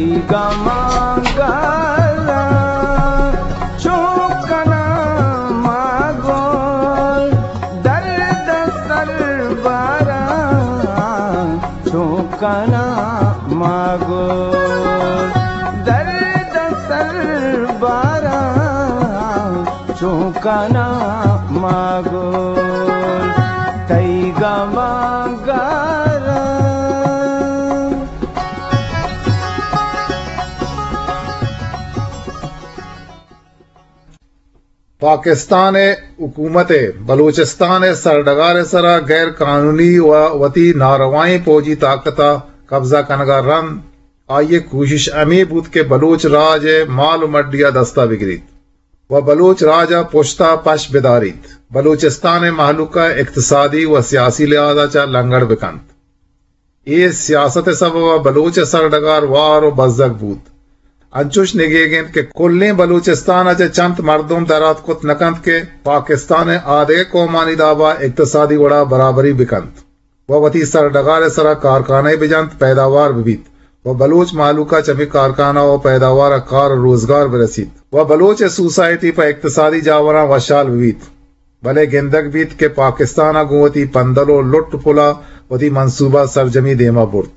گماں گاراں چون کناں ما گوں، درد سر باراں چون کناں ما گوں، درد سر باراں چون کناں ما گوں، تئی گماں گاراں۔ پاکستان ءِ حکومت ءَ بلوچستان ءِ سرڈگار ءِ سرا غیر قانونی و وتی ناروائیں پوجی طاقت ءَ قبضہ کنگ ءَ رند آئی ءِ کوشش ہمے بوت کہ بلوچ راج ءِ مال و مڈی ءَ دست ءَ بگریت و بلوچ راج ءَ پشت ءَ پش بداریت، بلوچستان ءِ مہلوک ءَ اقتصادی و سیاسی لحاظ ءَ چہ لنگڑ بکنت۔ اے سیاست ءِ سبب ءَ بلوچ ءِ سرڈگار وار و بزگ بوت۔ انچوش نگیگ انت کہ کلیں بلوچستان ءَ چہ چنت مردم دراتک کت نہ کنت کہ پاکستان ءِ آدگہ قومانی داب ءَ اقتصادی وڑ ءَ برابری بکنت و وتی سرڈگار ءِ سرا کارخانہ بجنت، پیداوار ببیت و بلوچ مہلوک ءَ چہ ہمے کارخانہ و پیداوار ءَ کار و روزگار برسیت و بلوچ ءِ سوسائٹی پہ اقتصادی جاوراں وشحال ببیت۔ بلے گندگ بیت کہ پاکستان ءَ گوں وتی پندل و لٹ پل ءَ وتی منصوبہ سرجمی دیما برت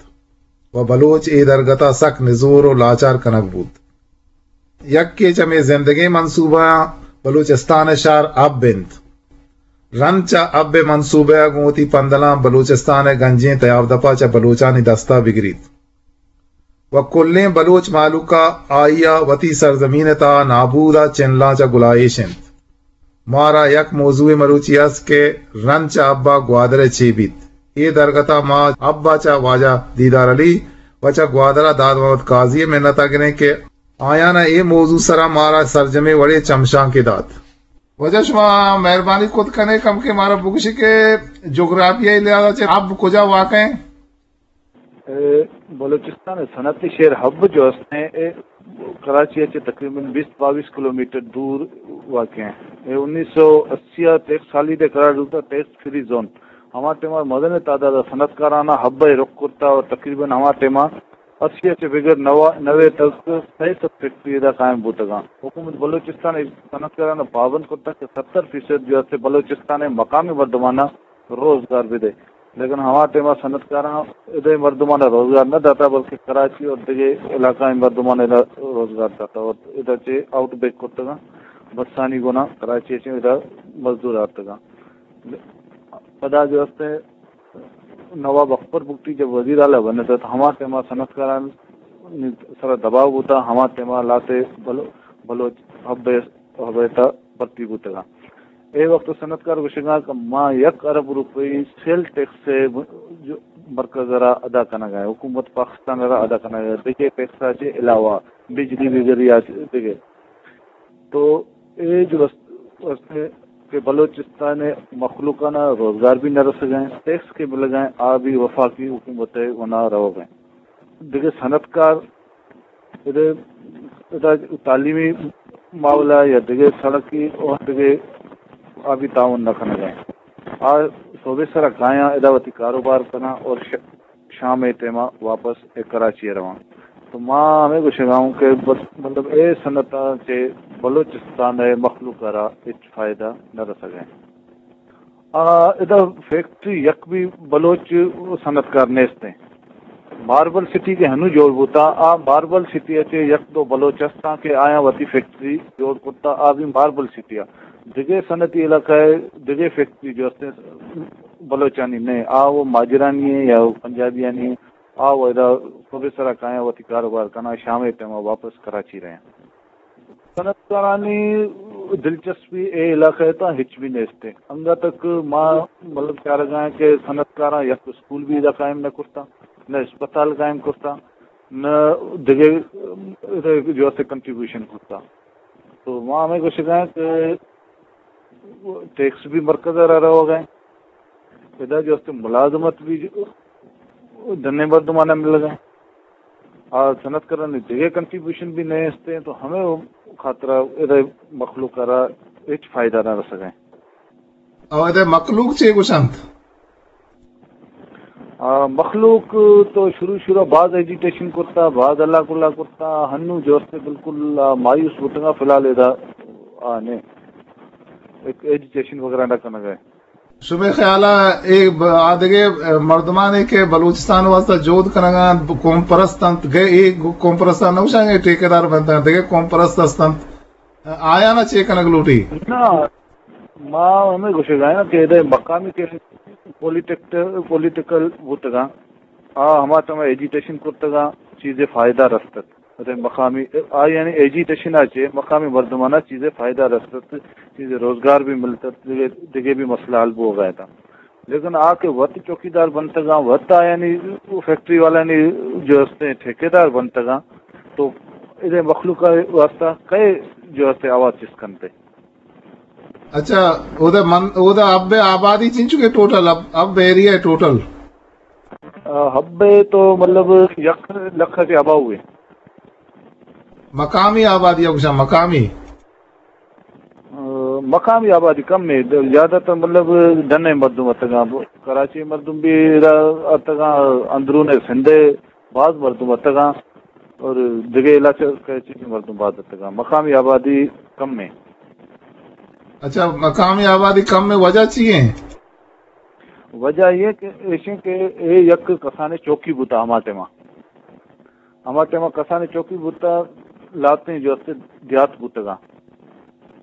و بلوچ اے درگت ءَ سک نزور و لاچار کنگ بوت۔ یکے چہ مئے زندگیں منصوبہاں بلوچستان ءِ شہر حب انت۔ رند چہ حب ءِ منصوبہ ءَ گوں وتی پندلاں بلوچستان ءِ گنجیں تیاب دپ ءَ چہ بلوچانی دست ءَ بگریت۔ و کلیں بلوچ مہلوک ءَ آئی ءَ وتی سرزمین ءِ تہا نابود ءَ چنلاں چہ گلائیش انت۔ مارا یک موضوعے مروچی است کہ رند چہ حب ءَ گوادر ءِ چے بیت۔ اے درگت ءَ ما حب ءَ چہ واجہ دیدار علی و چہ گوادر ءَ داد محمد قاضی ءِ منت ءَ گریں کہ آیان ءَ اے موضوع سرا مارا سرجمیں وڑے چمشانکے دات۔ واجہ شما مہربانی کت کنے کم کہ مارا بگوشی کہ جغرافیائی لحاظ ءَ چہ حب کجا واقع ہیں؟ اے بلوچستان ءِ صنعتی شہر حب جو است ہیں، اے کراچی ءَ چہ تقریباً بیست بائیس کلومیٹر دور واقع ہیں۔ اے انیس سو اسی ءَ ٹیکس ہالیڈے قرار داتا، ٹیکس فری زون۔ ہما ٹائم ءَ مزنیں تعداد ءَ صنعتکاراناں حب ءَ رخ کرتا اور تقریباً ہما ٹائم ءَ اسی ءَ چہ بگر نوا، نوے تک سئے سد فیکٹری ادا قائم بوتگاں۔ حکومت بلوچستان ءَ صنعتکاراناں پابند کرتا کہ ستر فیصد جو است بلوچستان ءِ مقامی مردماناں روزگار بدے، لیکن ہما ٹائم ءَ صنعتکاراں ادے مردمان ءَ روزگار نہ داتا، بلکہ کراچی اور دگہ علاقہ ءِ مردمان ءَ روزگار داتا اور ادا چہ آؤٹ بیک کرتگاں، بسانی گنا کراچی ءَ چہ ادا مزدور آرتگاں۔ پدا جو است نواب اکبر بگٹی جب وزیر اعلیٰ بنتا تو ہما ٹائم ءَ صنعتکاران سرا دباؤ بوتا، ہما ٹائم ءَ لاتے بلو-، بلوچ حب ءِ، حب ءِ تہا بھرتی بوتگاں۔ اے وقت صنعتکار گوشگاں کہ ما یک ارب روپئی سیل ٹیکس ءِ جو مرکز ءَ را ادا کنگ ءَ، حکومت پاکستان ءَ را ادا کنگ ءَ، دگہ ٹیکس ءَ چہ علاوہ بجلی وغیرہ ءَ چہ دگہ۔ تو اے جو است، است کہ بلوچستان ءِ مخلوقاناں روزگار بھی نہ رسگ ءَ، ٹیکس کہ ملگ ءَ، آ بھی وفاقی حکومت ءِ گنا روگ ءَ۔ دگہ صنعتکار ادا، ادا تعلیمی معاملہ یا دگہ سڑکی اور دگہ آبی تعاون نہ کنگ ءَ۔ آ صوبے سرا کایاں ادا وتی کاروبار کناں اور ش-، شام ءِ ٹائم ءَ واپس اے کراچی ءَ رواں۔ تو ما ہمے گوشگ ءَ اوں کہ بس، مطلب، اے صنعت ءَ چہ بلوچستان ءِ مخلوق ءَ را ہچ فائدہ نہ رسگ ءَ۔ آ، ادا فیکٹری یک بھی بلوچ صنعتکار نیست ہیں۔ ماربل سٹی کہ ہنو جوڑ بوتا، آ ماربل سٹی ءَ چہ یک دو بلوچ ہستاں کہ آیاں وتی فیکٹری جوڑ کرتا، آ بھی ماربل سٹی ءَ۔ دگہ صنعتی علاقہ ءَ دگہ فیکٹری جو ہستیں بلوچانی نہ، آ وہ ماجرانی ہیں یا وہ پنجابیانی ہیں، آ وہ ادا صبح سرا کایاں وتی کاروبار کناں، شام ءِ ٹائم ءَ واپس کراچی رہیں۔ صنعتکارانی دلچسپی اے علاقہ ءِ تہا ہچ بھی نیست۔ انگا تک ما، مطلب، چارگا ہیں کہ صنعتکاراں یک اسکول بھی ادا قائم نہ کرتا، نہ اسپتال قائم کرتا، نہ دگہ، ام، جو است کنٹریبیوشن کرتا۔ تو ما ہمے گوشگا ہیں کہ ٹیکس بھی مرکز ءَ را روگ ءَ، ادا جو است ملازمت بھی ڈنیں مردماناں ملگ ءَ، آ صنعتکارانی دگہ کنٹریبیوشن بھی نیست ہیں، تو ہمے خاطرا ادا مخلوق ءَ را ہچ فائدہ نہ رسگ ءَ۔ او ادا مخلوق چے گوشنت؟ آ، مخلوق تو شروع شروع باز ایجیٹیشن کرتا، باز اللہ کلا کرتا، ہنو جو استے بالکل، آ، مایوس بوتگا، فی الحال ادا، آ، نے ایک ایجیٹیشن وغیرہ نہ کنگا ہے۔ شمے خیالا اے ب-، آ دگہ مردمانے کہ بلوچستان واسطہ جہد کنگا انت، قوم پرست انت، گئے اے قوم پرستان نہ گوشاں کہ ٹھیکیدار بنت انت، دگہ قوم پرست است انت، آیانا چے کنگ لوٹی؟ نہ، ما ہمے گوشگا آں کہ ادے مقامی کہ پولیٹکٹ-، پولیٹیکل بوتگاں، آ ہما ٹائما ایجیٹیشن کرتگاں، چیزے فائدہ رستت۔ ادے مقامی، آ یعنی ایجیٹیشن آ چے مقامی مردمانا چیزے فائدہ رستت، چیزے روزگار بھی ملتت، دگہ، دگہ بھی مسئلہ حل بوگا اتاں۔ لیکن آ کہ وت چوکیدار بنتگاں، وت آ یعنی فیکٹری والانی جو استے ٹھیکیدار بنتگاں، تو ادے مخلوق واسطہ کئے جو استے آواز چست کنتے؟ اچھا، اودا من، اودا حب آبادی چنچو کہ ٹوٹل، حب، حب ایریا ٹوٹل؟ آ، حب تو مطلب یک لکھ تے اباؤ ہے۔ مقامی آبادی گوشاں، مقامی؟ آ، مقامی آبادی کم ہے، زیادہ تر مطلب ڈنے مردم اتگاں، کراچی مردم بھی ادا اتگاں، اندرون سندھ باز مردم اتگاں اور دگہ علاقہ چی مردم باز اتگاں، مقامی آبادی کم ہے۔ اچھا، مقامی آبادی کم ہے، وجہ چی ہے؟ وجہ یہ کہ ایشیں کہ اے یک کسانے چوکی بوتا ہما ٹائما، ہما ٹائما کسانے چوکی بوتا، لاتیں جو استے دیات بوتگاں۔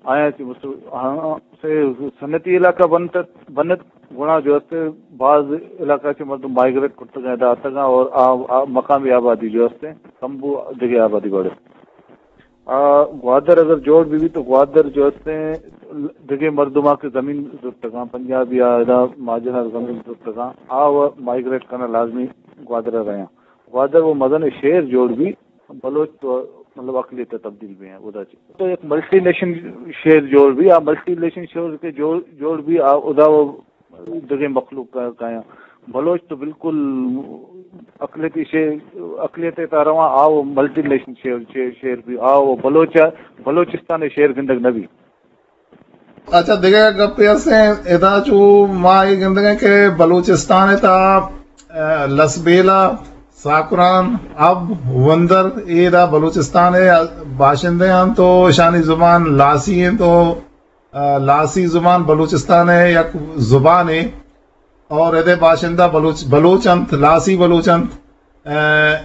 آیا چہ مسل-، ہاں، سے سنتی علاقہ بنت، بنت گڑا جو استے باز علاقہ چہ مردم مائیگریٹ کرتگاں، ادا اتگاں اور آ، آ مقامی آبادی جو استے کم بو، دگہ آبادی بڑے۔ آ، گوادر اگر جوڑ بھی، بھی تو گوادر جو استے دگہ مردماں کہ زمین زرتگاں، پنجابی آ ادا مہاجناں زمین زرتگاں، آ و مائیگریٹ کرنا لازمی گوادر رہے ہیں۔ گوادر وہ مزن شہر جوڑ بھی، بلوچ تو مطلب اقلیت تبدیل بھی ہیں، ادا چی تو ایک ملٹی نیشن شہر جوڑ بھی، آ ملٹی نیشن شہر کے جوڑ، جوڑ بھی، آ ادا وہ دگہ مخلوق کا، کایاں۔ بلوچ تو بالکل اقلیتی شے-، اقلیت تا رواں، آ و ملٹی نیشن شے-، شے-، شہر بھی، آ و بلوچ، بلوچستان شہر گندگ نبی۔ اچھا، دگہ گپے ہستیں، ادا چو ما اے گندگیں کہ بلوچستان تا، آ، لسبیلہ، ساکران، حب، وندر، اے دا بلوچستان باشندے ہیں تو اشانی زبان لاسی ہیں تو آ، لاسی زبان بلوچستان ء یک زبانے اور ادے باشندہ بلوچ، بلوچ انت، لاسی بلوچ انت۔ آ،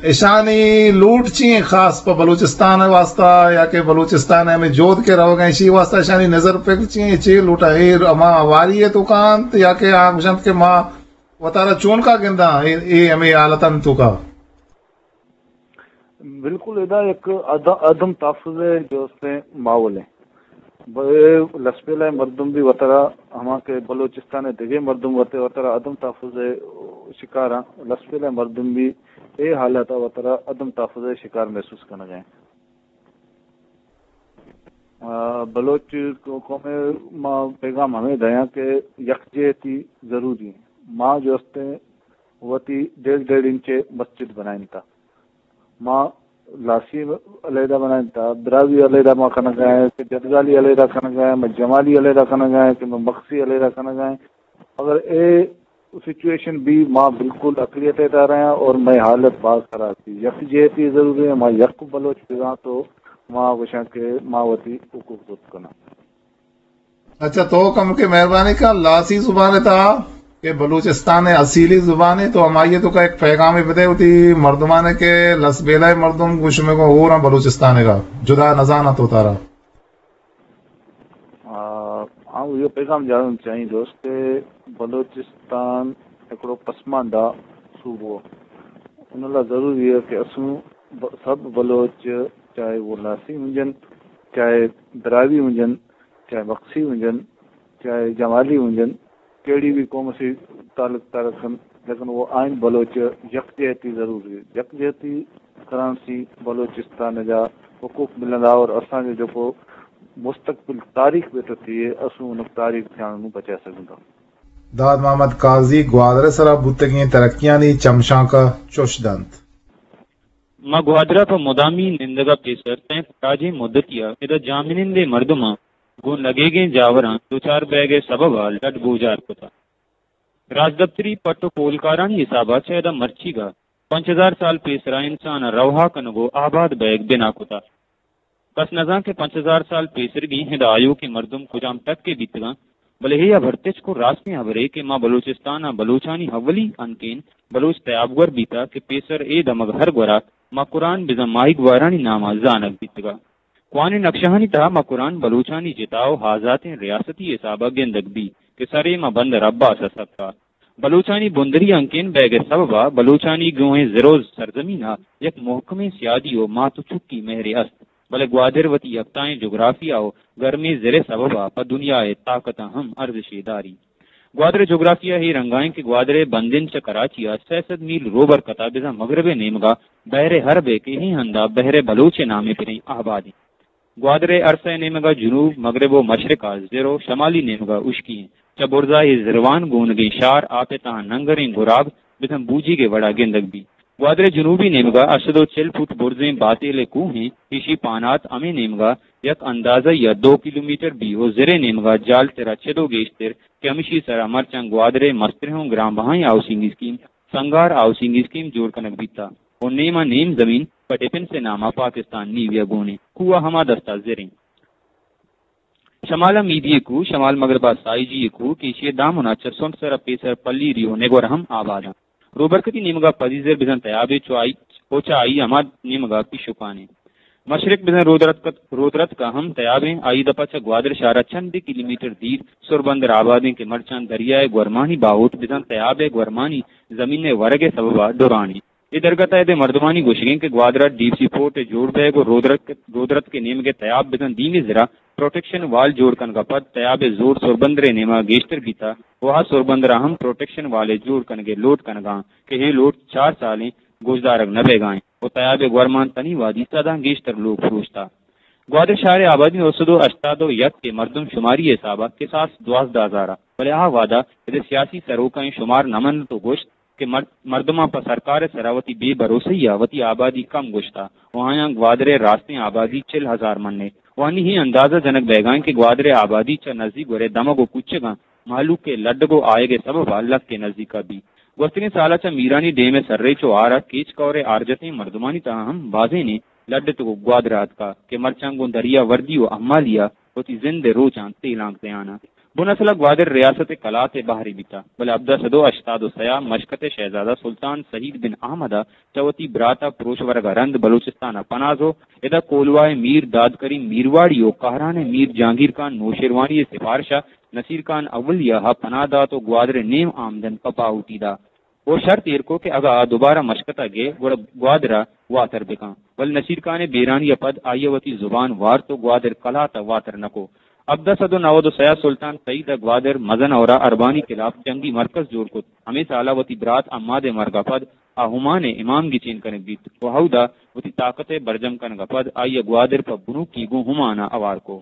اشانی لوٹ چی ہیں خاص پہ بلوچستان ء واسطہ یا کہ بلوچستان ء ہمیں جہد کہ روگ ء، اشی واسطہ اشانی نظر پکر چی ہیں، چے لوٹا اے ہما ہواری ء توکا انت یا کہ آ گوشنت کہ ما وتارا چونکا گنداں اے، اے ہمیں حالتان توکا؟ بالکل، ادا یک عد-، عدم تحفظ ء جو است ماحول ہے۔ ب-، لسبیلہ مردم بھی وترا ہما کہ بلوچستان ء دگہ مردم وت-، وترا عدم تحفظ ء شکار ہیں۔ لسبیلہ مردم بھی اے حالت ء وترا عدم تحفظ ء شکار محسوس کنگ ء۔ آ، بلوچ قوم ء ما پیغام ہمیں دیاں کہ یکجہتی ضروری ہیں۔ ما جو است وتی ڈیڑھ ڈیڑھ انچ ء مسجد بنائینتا۔ ما لاسی علیحدہ بنائینتا، براہوئی علیحدہ ما کنگا ہیں، کہ جدگالی علیحدہ کنگا ہیں، ما جمالی علیحدہ کنگا ہیں، کہ ما مگسی علیحدہ کنگا ہیں۔ اگر اے سچویشن بھی ما بالکل اقلیت ادارہ ہیں اور مئے حالت باز خراب تھی۔ یکجہتی ضروری ہے، ما یک بلوچ بگاں تو ما گوشاں کہ ما وتی حقوق زرت کناں۔ اچھا، تو کم کے مہربانی کن، لاسی زبان تا کہ بلوچستان ء اصیلی زبان ہے، تو ہمائی تو کا ایک پیغام بدے ہوتی مردمان کے لسبیلہ مردم گوش میں کو ہو رہا بلوچستان کا جدا نزانا تو تارا۔ آ، آؤں یہ پیغام جاننا چاہیے دوست کہ بلوچستان ایکڑو پسماندہ صوبو، ان اللہ ضروری ہے کہ اسوں ب-، سب بلوچ، چاہے وہ لاسی ہوں جن، چاہے دراوی ہوں جن، چاہے مگسی ہوں جن، چاہے جمالی ہوں جن، کیڑی بھی قوم سے تعلق تارکن، لیکن وہ آئین بلوچ یکجہتی ضروری ہے۔ یکجہتی کرانسی بلوچستان جا حقوق ملندا اور اساں جو کو مستقبل تاریخ بیتتی ہے، اسوں انک تاریخ تھیان نو بچا سکندا۔ داد محمد قاضی گوادر سرا بوتگیں ترقیانی چمشانکا چوش دنت۔ ما گوادر ء پہ مدامی نندگ ء پیسر تاں راجیں مدتی ء ادا جاہمنندیں مردماں گوں لگیگیں جاوراں دچار بئیگ ء سبب ء لڈ گوجار کتگ۔ راجدپتری پٹ و پولکارانی حسابا چہ ادا مرچیگا پنچ ہزار سال پیسرا انسان ء روہا کنگ و آباد بئیگ بنا کتا۔ کس نزان کہ پنچ ہزار سال پیسرگیں ہدا آیوکیں مردم کجام ٹکے بیتگاں، بلے اے ہبر تچک و راستیں ہبرے کہ ما بلوچستان ء بلوچانی اولی ہنکین بلوچ تیابگور بیتا کہ پیسر اے دمگ ہر گورا مکران بزاں ماہیگوارانی ناما زانگ بیتگا۔ کوانیں نقشہانی تہا مکران بلوچانی جتا و آزاتیں ریاستی حسابا گندگ بی کہ سرے ما بندر عباس ء سکا۔ بلوچانی بندری ہنکین بیگ ء سببا بلوچانی گوہیں زر و سرزمین ء یک محکمیں سیادی و مات و چکی مہرے است، بلے گوادر وتی یکتائیں جغرافیہ و گرمیں زر ء سببا پہ دنیا ء طاقتاں ہم ارزشے داری۔ گوادر ء جغرافیہ اے رنگا انت کہ گوادر ء بندن چہ کراچی ء سئے سد میل روبر کتا بزاں مغرب ء نیمگا بحر حرب ء کہ اے ہندا بحر بلوچ ء نام ء پریں آباد انت۔ گوادر ء ارس ء نیمگا جنوب، مغرب و مشرق ء زر و شمالی نیمگا ہشکی انت۔ چہ برزا اے زروان گونگیں شار آپ ء تہا ننگریں گراب بزاں بوجیگ ء وڑا گندگ بیت۔ گوادر ء جنوبی نیمگا ہشت سد و چل فٹ برزیں باتیل ء کوہ انت، ایشی پانات ہمے نیمگا یک اندازہ یا دو کلومیٹر بی و زر ء نیمگا جالترا چد و گیشتر کہ ہمشی سرا مرچاں گوادر ء مستریں و گران بہائیں ہاؤسنگ اسکیم سنگار ہاؤسنگ اسکیم جوڑ کنگ بیتا و نیم ء نیم زمین پہ ڈیفنس ء ناما پاکستان نیوی ء گون انت۔ کوہ ء ہما دستا زر انت۔ شمال ء میدی ء کوہ، شمال مغرب ء سائیجی ء کوہ کہ ایشی ء دامن ء چہ سنٹ سر ء پیسر پلیری و نگور ہم آباد انت۔ روبرکتی نیمگا پدی زر بزاں تیابے چو آئی، و چہ آئی ہما نیمگا پیشوکانے۔ مشرق بزاں رودرتک، رودرتک ء ہم تیابیں، آئی دپا چہ گوادر شہر ء چندے کلومیٹر دیر سربندر آبادیں کہ مرچاں دریائے گورمانی باہوٹ بزاں تیابے گورمانی زمین ء ورگ ء سببا ڈرانی۔ اے درگت ء اد ء مردمانی گوشگیں کہ گوادر ء ڈیپ سی پورٹ ء جوڑ بئیگ و رودرتک، رودرتک ء نیمگ ء تیاب بزاں دیمی زرا پروٹیکشن وال جوڑ کنگ ء پد تیاب ء زور سربندر ء نیما گیشتر بیتا و آ سربندر ء ہم پروٹیکشن وال ء جوڑ کنگ ء لوٹ کنگاں کہ اے لوٹ چار سالیں گوشدارگ نہ بیگائیں و تیاب ء گورمان تنی وادی سداں گیشتر لوگ پروشتا۔ گوادر شہر ء آبادی نو سد و ہشتاد و یک ء مردم شماری ء حساب ء کساس دوازدہ ہزار ء، بلے آ وہد ء اد ء سیاسی سروکاں اے شمار نہ منت و گوشت کہ مر-، مردماں پہ سرکار ء سرا وتی بے بھروسہی ء وتی آبادی کم گوشتہ و آیاں گوادر ء راستیں آبادی چل ہزار من ء و آنی اے اندازہ جنگ بیگائیں کہ گوادر ء آبادی چہ نزیک گورے دمگ و کوچگاں مہلوک ء لڈگ و آیگ ء سبب ء لک ء نزیک ء بی۔ گوستگیں سال ء چہ میرانی ڈیم ء سرریچ و آر ء کیچ کور ء آرجتیں مردمانی تہا ہم بازینے لڈتگ و گوادر ء اتکا کہ مرچاں گوں دریا وردی و امالی ء وتی زند ء روچاں تیلانک دیان ء۔ بن اصل ء گوادر ریاست ء کلات ء بہرے بیتہ، بلے ہبدہ سد و ہشتاد و سئے ء مشکت ء شہزادہ سلطان سعید بن احمد ء چہ وتی برات ء پروش ورگ ء رند بلوچستان ء پناہ زو، ادا کولواہ ء میر داد کریم میرواڑی و کہران ء میر جہانگیر خان نوشیروانی ء سفارش ء نصیر خان اولیہ ء پناہ دات و گوادر ء نیم آمدن پہ باہوٹی دات۔ و شرط ایر کو کہ اگاں آ دوبارہ مشکت ء گئے گڑا گوادر ء واتر بکن، بلے نصیر خان ء بیرانی ء پد آئی ء وتی زبان وارت و گوادر کلات ء واتر نہ کو۔ ہبدہ سد و نود و سئے ء سلطان سعید ء گوادر، مزن اور ء اربانی خلاف جنگی مرکز جوڑ کت۔ ہمے سال ء وتی برات عماد ء مرگ ء پد آ عمان ء امام گچین کنگ بیت و ہود ء وتی طاقت ء برجم کنگ ء پد آئی ء گوادر پہ بنوکی گوں عمان ء ہوار کو۔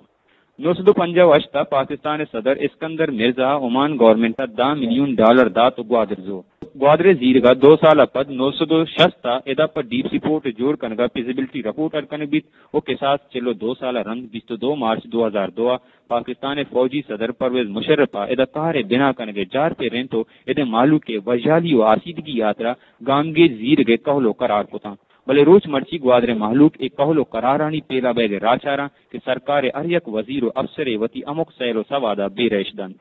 نو سد و پنجاہ و ہشت ء پاکستان ء صدر اسکندر مرزا ء عمان گورنمنٹ ء دہ ملین ڈالر دات و گوادر زو۔ گوادر ء زیرگ ء دو سال ء پد نو سد و شست ء ادا پہ ڈیپ سی پورٹ ء جوڑ کنگ ء فیزیبلٹی رپورٹ اڈ کنگ بیت و کساس چل و دو سال ء رند بیست و دو مارچ دو ہزار دو ء پاکستان ء فوجی صدر پرویز مشرف ء ادا کار ء بنا کنگ ء جار پرینت و اد ء مہلوک ء وژالی و آسیدگی ء ہاترا گامگیج زیرگ ء کہول و قرار کتاں۔ بلے روچ مرچی گوادر ء مہلوک اے کہول و قرارانی پیلا بئیگ ء راچاراں کہ سرکار ء ہر یک وزیر و افسرے وتی ہمک سیل و سواد ء بے رہش دنت۔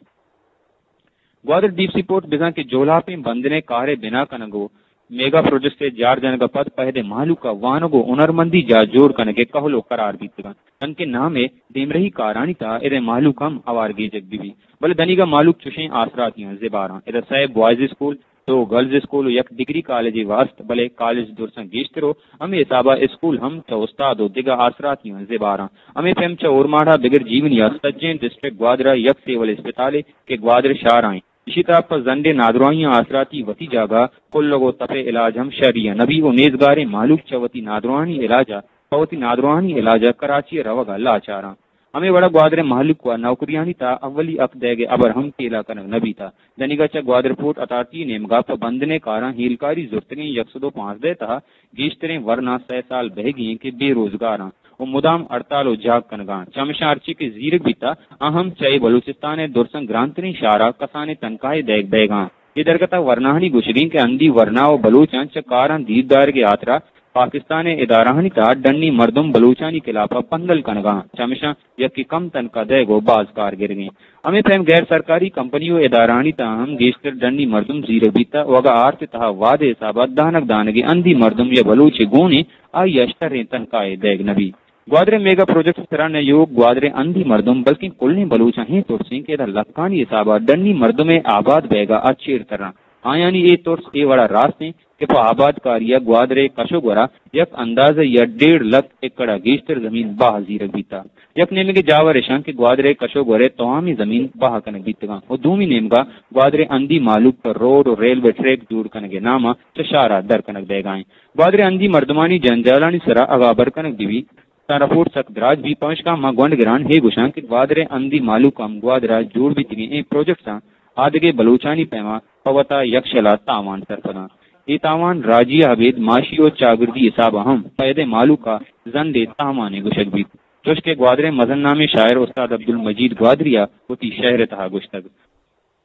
گوادر ڈیپ سی پورٹ بزاں کہ جولاپیں بندن ء کار ء بنا کنگ و میگا پروجیکٹس ء جار جنگ ء پد پہد ء مہلوک ء وانگ و ہنرمندی جاہ جوڑ کنگ ء کہول و قرار بیتگ انت، تنکہ نام ء دیمرہی کارانی تہا اد ء مہلوک ہم ہوار گیجگ بہ بیت۔ بلے دنیگا مہلوک چشیں آسراتیاں زباراں۔ ادا سئے بوائز اسکول، دو گرلز اسکول و یک ڈگری کالجے وہست، بلے کالج درساں گیشتر و ہمے حسابا اسکول ہم چہ استاد و دگہ آسراتیاں زباراں۔ ہمے پیم چہ اورماڑہ بگر جیونیا سجیں ڈسٹرکٹ گوادرا یک سیول اسپتالے کہ گوادر شہرا انت، ایشی تہا پہ زنڈیں نادراہیاں آسراتی وتی جاگہ کلگ و تپے علاج ہم شری نبی و نیزگاریں مہلوک چہ وتی نادراہانی علاجا پہ وتی نادراہانی علاجا کراچی روگا لاچاراں۔ ہمے وڑا گوادر ء مہلوک ء نوکریانی تہا اولی حق دئیگ ء ہبر ہم پیلہ کنگ نہ بیتہ۔ دنیگا چہ گوادر پورٹ اتھارٹی ء نیمگا پہ بندن ء کاراں ہیلکاری زرتگیں یک سد و پانزدہ تہا گیشتریں ورنا سئے سال بہگی انت کہ بے روزگاراں و مدام ہڑتال و جاگ کنگاں۔ چمشاں ہرچی کہ زیرگ بیتہ، آ ہم چہ اے بلوچستان ء درساں گرانتریں شہرا کسانیں تنخواہے دئیگ بئیگاں۔ اے درگت ءَ ورناہانی گوشگ اِنت کہ ہندی ورنا ءُ بلوچاں چہ کاراں دیر دارگ ءِ ہاترا پاکستان ءِ ادارہانی تہا ڈنی مردم بلوچانی خلاف ءَ پندل کنگ ءَ اَنت، چمیشاں یکے کم تنخواہ دئیگ ءُ باز کار گرگ ءَ اِنت۔ ہمے پیم غیر سرکاری کمپنی ءُ ادارہانی تہا ہم گیشتر ڈنی مردم زیرگ بیتہ، اگاں آرت ءِ تہا وعدہ ءِ حساب ءَ دانگ دانگے ہندی مردم یا بلوچے گون اِنت، آئی ءَ شریں تنخواہے دئیگ نہ بیت۔ گوادر ءِ میگا پروجیکٹ ءِ سرا نہ یوک گوادر ءِ ہندی مردم بلکیں کلیں بلوچاں ایں ترس اِنت کہ ادا لکانی حساب ءَ ڈنی مردم ءِ آباد بیگ ءَ چیر تران۔ آیانی اے ترس اے وڑا راست اِنت کہ پہ آبادکاری ءَ گوادر ءِ کش ءُ گور ءَ یک اندازہ یا ڈیڑھ لکھ ایکڑ ءَ گیشتر زمین باہ زیرگ بیتہ۔ یک نیمگے جاور اِش اَنت کہ گوادر ءِ کش ءُ گور ءِ توامیں زمین باہ کنگ بیتگ اَنت ءُ دومی نیمگ ءَ گوادر ءِ ہندی مہلوک پہ روڈ ءُ ریلوے ٹریک جوڑ کنگ ءِ نام ءَ چہ شہر ءَ در کنگ بیگ ءَ اِنت۔ گوادر ءِ ہندی مردمانی جنجالانی سرا اگاں ہبر کنگ بہ بیت، تاں رپورٹ سک دراج بیت، پمشکا ما گونڈ گران اے گوشاں کہ گوادر ءِ ہندی مہلوک ہم گوادر ءَ جوڑ بیتگیں اے پروجیکٹساں آدگہ بلوچانی پیما پہ وتا یکشلا تاوان سرپداں۔ اے تاوان راجی ءَ ابید معاشی ءُ چاگردی حساب ءَ ہم پہ اد ءِ مہلوک ءَ زندے تاوانے گوشگ بیت۔ چوش کہ گوادر ءِ مزن نامیں شاعر استاد عبدالمجید گوادری ءَ وتی شعر ءِ تہا گوشتگ،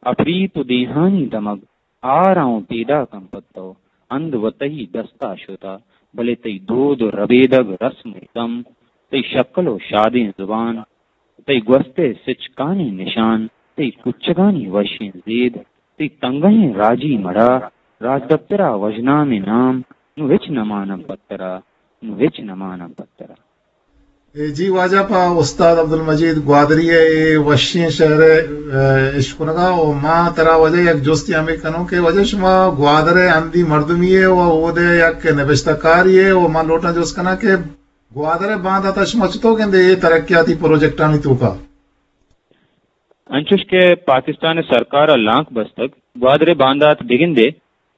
اپریت ءُ دیہانی دمگ آراں ءُ پیداکاں پہ تو، ہند وتئی دستا شتا، بلے تئی دود ءُ ربیدگ، رسم ءُ تم، تئی شکل ءُ شادیں زبان، تئی گوست ءِ سچکانیں نشان، تئی کچگانی وشیں زید، تئی تنگہیں راجی مڑا، راجدپترا وژنامیں نام، نوں ہچ نماناں پہ ترا، نوں ہچ نماناں پہ ترا۔ اے جی واجہ، پہ استاد عبدالمجید گوادری ءِ اے وشیں شعر ءِ، اے، اشکنگا ءُ ما ترا واجہ یک جستے ہمے کنوں کہ واجہ شما گوادر ءِ ہندی مردمے ئے ءُ اود ءِ یک نبشتہ کارے ئے ءُ ما لوٹاں جست کناں کہ گوادر ءِ باندات ءَ شما چتو گندے اے ترقیاتی پروجیکٹانی توکا؟ انچوش کہ پاکستان ءِ سرکار ءَ لانک بستگ، گوادر ءِ باندات بگندے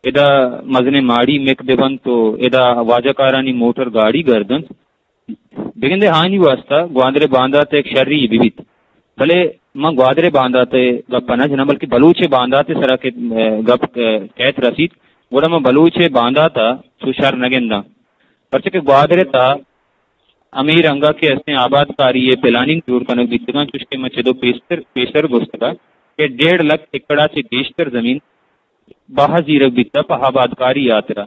ادا مزنیں ماڑی مک بہ بنت ءُ ادا واجہ کارانی موٹر گاڑی گرد انت۔ بگندے آیانی واستا گوادر ءِ باندات یک شری بہ بیت۔ بلے من گوادر ءِ باندات ءِ گپ ءَ نہ جناں، بلکہ بلوچ ءِ باندات ءِ سرا کہ، اے، گپ، اے، کیت رسیت، گڑا من بلوچ ءِ باندات ءَ چو شر نہ گنداں۔ پرچہ کہ گوادر ءِ تہا ہمے رنگ ءَ کہ استیں آبادکاری ءِ پلاننگ جوڑ کنگ بیتگاں، چوش کہ من چدو پیشتر، پیشتر گوشتگ ءَ کہ ڈیڑھ لکھ ایکڑ ءَ چہ گیشتر زمین باہ زیرگ بیتہ پہ آبادکاری ءِ ہاترا۔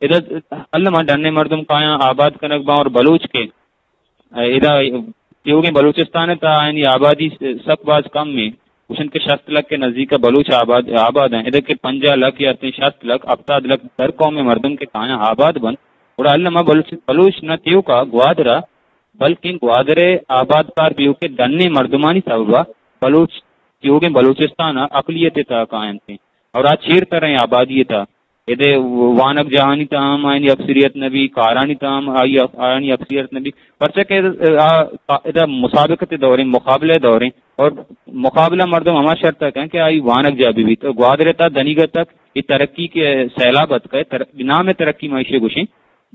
ادا الما ڈن ءِ مردم کایاں آباد کنگ باں اور بلوچ کہ ادا تیوگیں بلوچستان ءِ تہا آیانی آبادی سک باز کم ایں، گوشنت کہ شست لکھ ءِ نزیک ءَ بلوچ آباد، آباد ایں۔ ادا کہ پنجاہ لکھ یا تئی شست لکھ، ہپتاد لکھ در قوم ءِ مردم کہ کایاں آباد بنت، گڑا الما بلوچ، بلوچ نہ تیوکا گوادر ءَ، بلکیں گوادر ءِ آبادکار بیوک ءِ ڈن ءِ مردمانی سبب ءَ بلوچ تیوگیں بلوچستان ءَ اقلیت ءِ تہا کاینت۔ اور آ چیر تریں آبادی ءِ تہا۔ ادے وانگجاہانی تہا ہم آیانی اکثریت نہ بی، کارانی تہا ہم آئی، آیانی اکثریت نہ بی۔ پرچہ کہ آ، آ، ادا مسابقت ءِ دوریں، مقابلہ ءِ دوریں، اور مقابلہ مردم ہما شرط ءَ کن کہ آئی وانگجاہ بہ بیت۔ گوادر ءِ تہا دنیگا تک اے ترقی کہ سیلاب اتکہ، تر-، نام ءِ ترقی ما ایشی ءَ گوشیں۔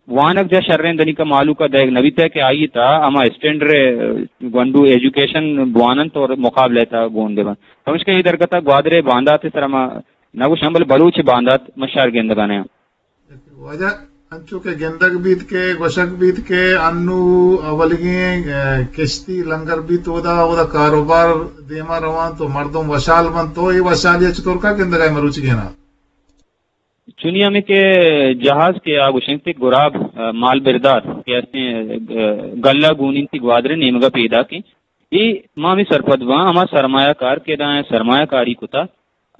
وانگجاہ شریں دنیگا مہلوک ءَ دئیگ نہ بیتہ کہ آئی ءِ تہا ہما اسٹینڈرڈ گونڈو ایجوکیشن بوان انت اور مقابلہ ءِ تہا گون بہ بنت۔ پمشکا اے درگت ءَ گوادر ءِ باندات ءِ سرا ما نہ گوشاں، بلے بلوچ ءِ باندات ما شر گندگا نیاں۔ واجہ، انچو کہ گندگ بیت کہ گوشگ بیت کہ انو اولیگیں، اے، کشتی لنگر بیت، اودا، اودا کاروبار دیما روان تو مردم وشال بنت، تو اے وشالی ءَ چطور کا گندگا مروچیگینا؟ چونی ہمیں کہ جہاز کہ آ گوشنت کہ گراب، اے، مال بردار کہ استیں، اے، گلہ گونینتی گوادر ءِ نیمگا پیداکیں۔ اے ما ہمیں سرپد باں، ہما سرمایہ کار کہ ادا سرمایہ کاری کتا،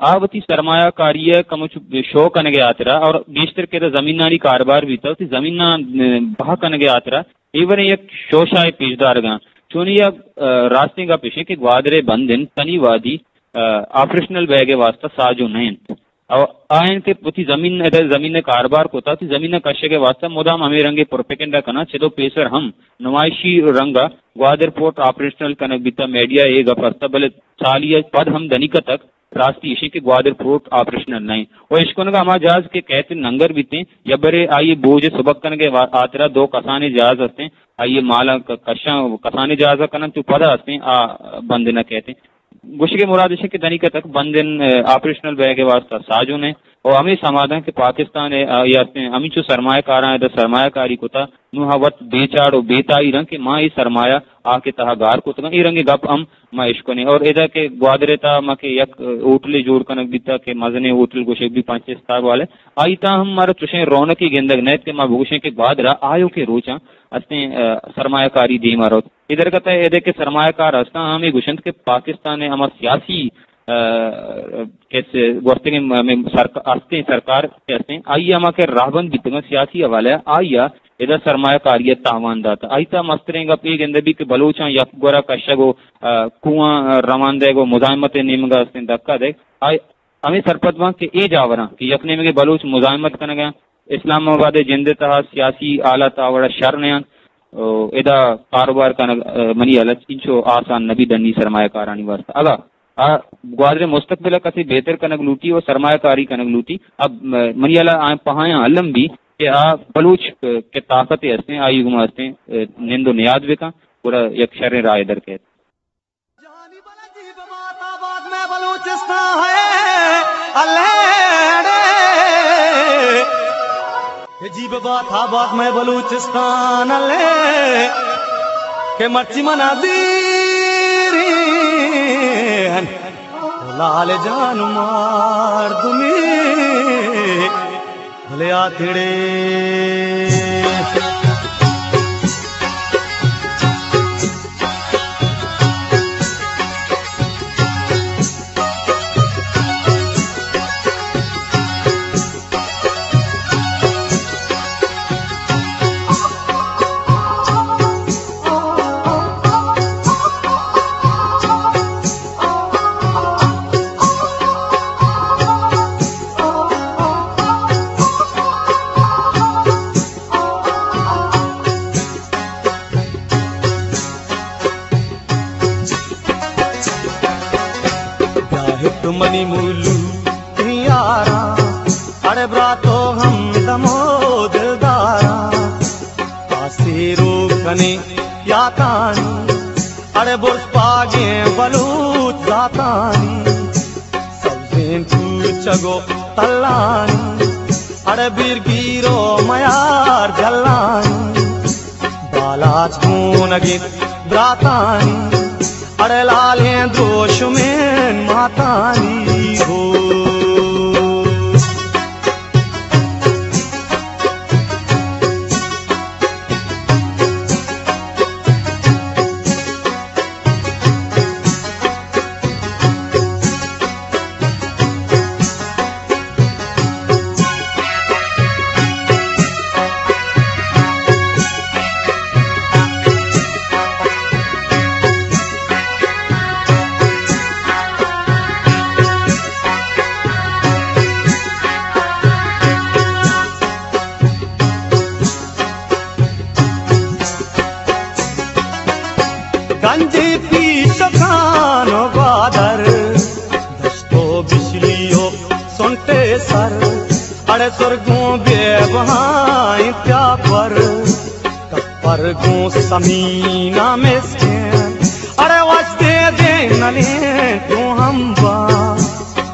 آ وتی سرمایہ کاری ءَ کمو چو شو کنگ ءِ ہاترا اور گیشتر کہ ادا زمینانی کاروبار بیتا، وتی زمیناں، اے، بہا کنگ ءِ ہاترا اے وریں یک شوشائے پیش دارگاں۔ چونی یک، اے، راستیں گپ ایشیں کہ گوادر ءِ بندن تنی وادی، اے، آپریشنل بیگ ءِ واسطہ ساجو نہ انت۔ او آیان کہ وتی زمین، ادا زمین ءِ کاروبار کتا، وتی زمین ءِ کشگ ءِ واسطہ مدام ہمے رنگیں پروپیگنڈا کناں، چدو پیسر ہم نمائشی رنگا گوادر پورٹ آپریشنل کنگ بیتا، میڈیا ءَ اے گپ ہستا، بلے سالی ءَ پد ہم دنیگا تک راستی ایشیں کہ گوادر پورٹ آپریشنل نہ انت۔ و اشکنگا ہما جہاز کہ کیت ننگر بیتیں، یا برے آئی بوجھ سبک کنگ ءِ وا-، ہاترا دو کسانیں جہاز ہستیں، آئی مالا ک-، کشاں کسانیں جہاز کنن تو پدا ہستیں، آ بند نہ کیتیں۔ گوشگ ءِ مراد ایش کہ دنیگا تک بندن، اے، آپریشنل بیگ ءِ واسطہ ساجو نہ انت۔ و ہمے سماداں کہ پاکستان ء آئی ہستیں، ہمینچو سرمایہ کاراں ادا سرمایہ کاری کتا، نوں ہا وت بے چاڑ و بے تاہیر انت کہ ما اے سرمایہ آ کہ تہا گار کتگاں، اے رنگیں گپ ہم ما اشکنیں۔ اور ادا کہ گوادر ء تہا ما کہ یک ہوٹلے جوڑ کنگ بیتا کہ مزنیں ہوٹل گوشگ بی پنچ اسٹار والے، آئی تہا ہم مارا چوشیں رونقے گندگ نئیت کہ ما بگوشیں کہ گوادر ء آیوکیں روچاں ہستیں، آ، سرمایہ کاری دیما روت۔ اے درگت ء ادے کہ سرمایہ کار ہستاں ہمے گوشنت کہ پاکستان ء ہما سیاسی، آ، کہ س-، گوستگیں م-، م-، سرک-، ہستیں سرکار کہ ہستیں، آئی ء ہما کہ راہبند بیتگاں سیاسی حوالہ ء، آئی ء ادا سرمایہ کاری ء تاوان دات۔ آئی تہا مستریں گپ اے گندہ بیت کہ بلوچاں یک گورا کشگ و، آ، کوہاں، آ، روان دئیگ و مزاحمت ء نیمگ ء ہستیں دھکا دئیگ۔ آئی ہمے سرپد باں کہ اے جاوراں کہ یک نیمگے بلوچ مزاحمت کنگ ء انت، اسلام آباد ء جند ء تہا سیاسی حالت آ وڑا شر نہ انت، او ادا کاروبار کنگ، ء، منی ہیال ء انچو آسان نہ بیت ڈنی سرمایہ کارانی واستہ۔ اگاں آ گوادر ء مستقبل ء کسے بہتر کنگ لوٹی و سرمایہ کاری کنگ لوٹی، اب م-، منی ہیال ء آیاں پہایاں الم بی کہ آ بلوچ، ء، کہ طاقت ء ہستیں، آئی گما ہستیں، ء، نند و نیاد بکن، گڑا یک شریں راہ در کیت۔ جہانی بلدی ببات آباد مئے بلوچستان ہے، اللہ ڑے۔ عجیب بات آباد مئے بلوچستان، اللہ، کہ مرچی منا دیرین لال جان مردمی بھلے آتڑے۔ بیا ہٹ منی مولو تئی یاراں، اڑے براتو ہمدم و دلداراں، آسے رو کنے یاتانی، اڑے برز پاگیں بلوچ ذاتانی، سبزیں کوچگ و تلانی، اڑے بیرگیر و میار جلانی، بالاچ گونگیں براتانی، اڑے لالیں دروشمیں ماتانی ہو۔ گنجیں پیشکان و گوادر، دشت و بشلی و سنٹے سر، اڑے سرگوں بے بہائیں پیاپر، کپر گوں سمینا مسکین، اڑے وشتے دے نلیں گوں ہمبا،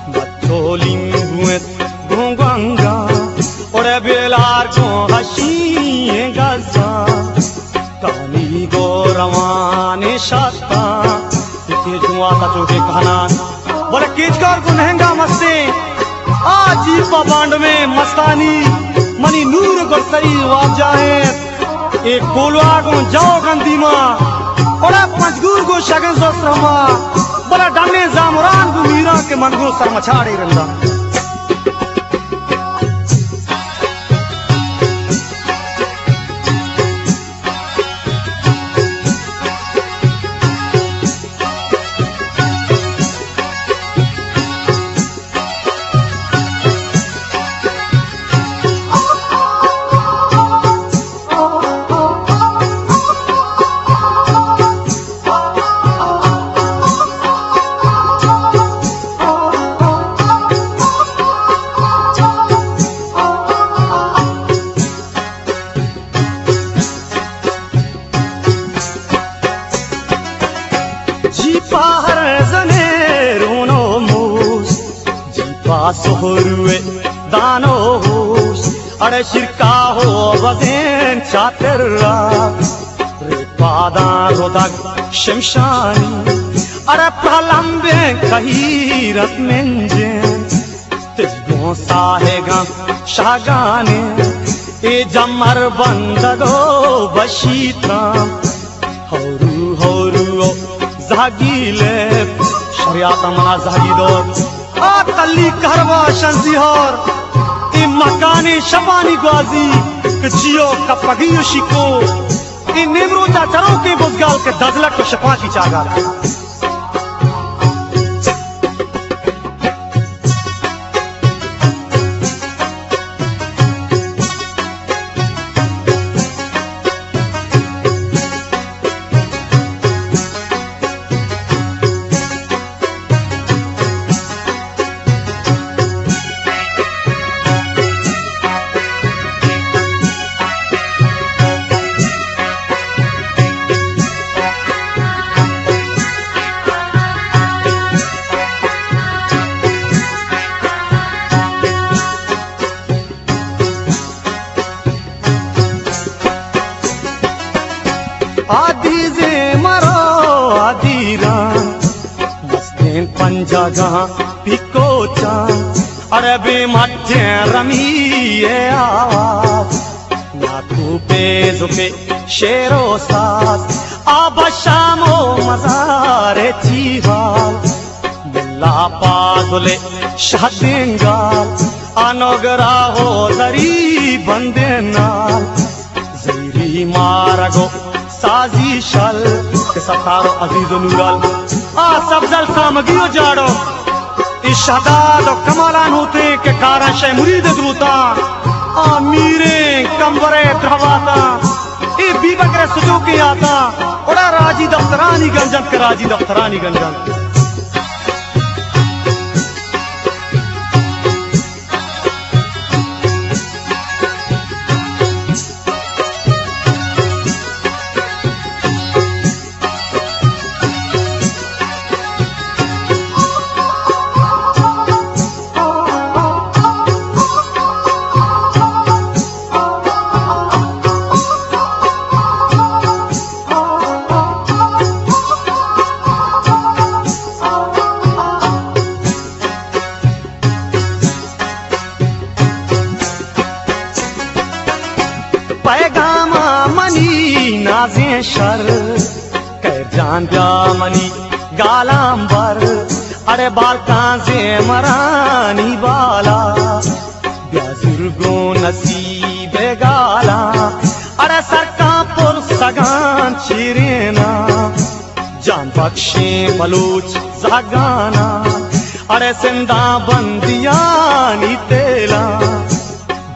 مچولیں گوں گوں گنگا، اڑے بیلار گوں ہشی گزا، کانی گو روان شتا، اتنی جوا تا چوٹے کہنان، بلے کیچکار گوں نہنگا مستیں، آ جیپا بانڈ میں مستانی، منی نور گرسری واجہ ہیں۔ اے کولواہ گوں جوگ انت دیما، اڑا پنجگور گوں شگن زوسر ہما، بلا ڈنیں زامران گوں میران کہ من گوں سرمچاڑے رندا۔ جیپا ہر زنے رونو موس، جیپا سہروے آنو ہوش، اڑے شیرکاہو بزین چاتر را، رے پاداں رودگ شمشانی، اڑے پرلمبیں کہیرت منجیں، تجگوں ساہگاں شاگانیں، اے جمر بندگ و بشیتاں۔ ہورو ہورو او زہگی لیب، شریعت منا زہگی دور۔ آ تلی کہروا شنزی ہور، اے مکانی شپانی گوازی کہ جیو کپگی و شیکو، اے نیمروچا چروکیں بزگال کہ دزلک و شپاکی چاگال۔ آدیزیں مرو آدیراں، مستیں پنجاگاں پیکوچاں، عربیں مٹیں رمی ءِ آواز، ناکو پہ زکے شعر و ساز، آ بشام و مزار چیہال، ملا پازل شہدینگال، آ نوگرا و دری بندینال، زیری مارگ و سازی شل کہ ستار و عزیز و نورال، آ سبزل سامگی و جاڑو، اے شہداد و کمالان ہوتیں کہ کاراں شے مرید دروتاں، آ میریں کمبرے درہواتاں، اے بی بکر سجوکیں آتاں، اڑا راجی دفترانی گنجنت کہ راجی دفترانی گنجنت۔ پیغام منی نازیں شر، خیر جان بیا منی گالاں بر، اڑے بالکاں زیمرانی بالا، بیا زرگوں نصیب گالاں، اڑے سرکاں پرسگاں چیرینا۔ جان بخشیں بلوچ زہگاناں، اڑے سنداں بندیانی تیلاں،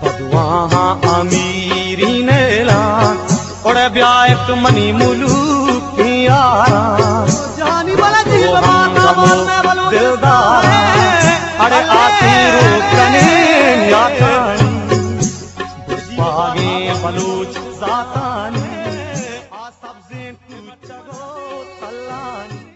بدواہاں امیری نیلاں، اڑے بیا ات منی ملوکی یاراں۔ جانی بلدی او ہم غمو دلداراں، اڑے آتیرو کنیں یاتانی، باغیں بلوچ ذاتانی، آ سبزیں کوچگو تلانی۔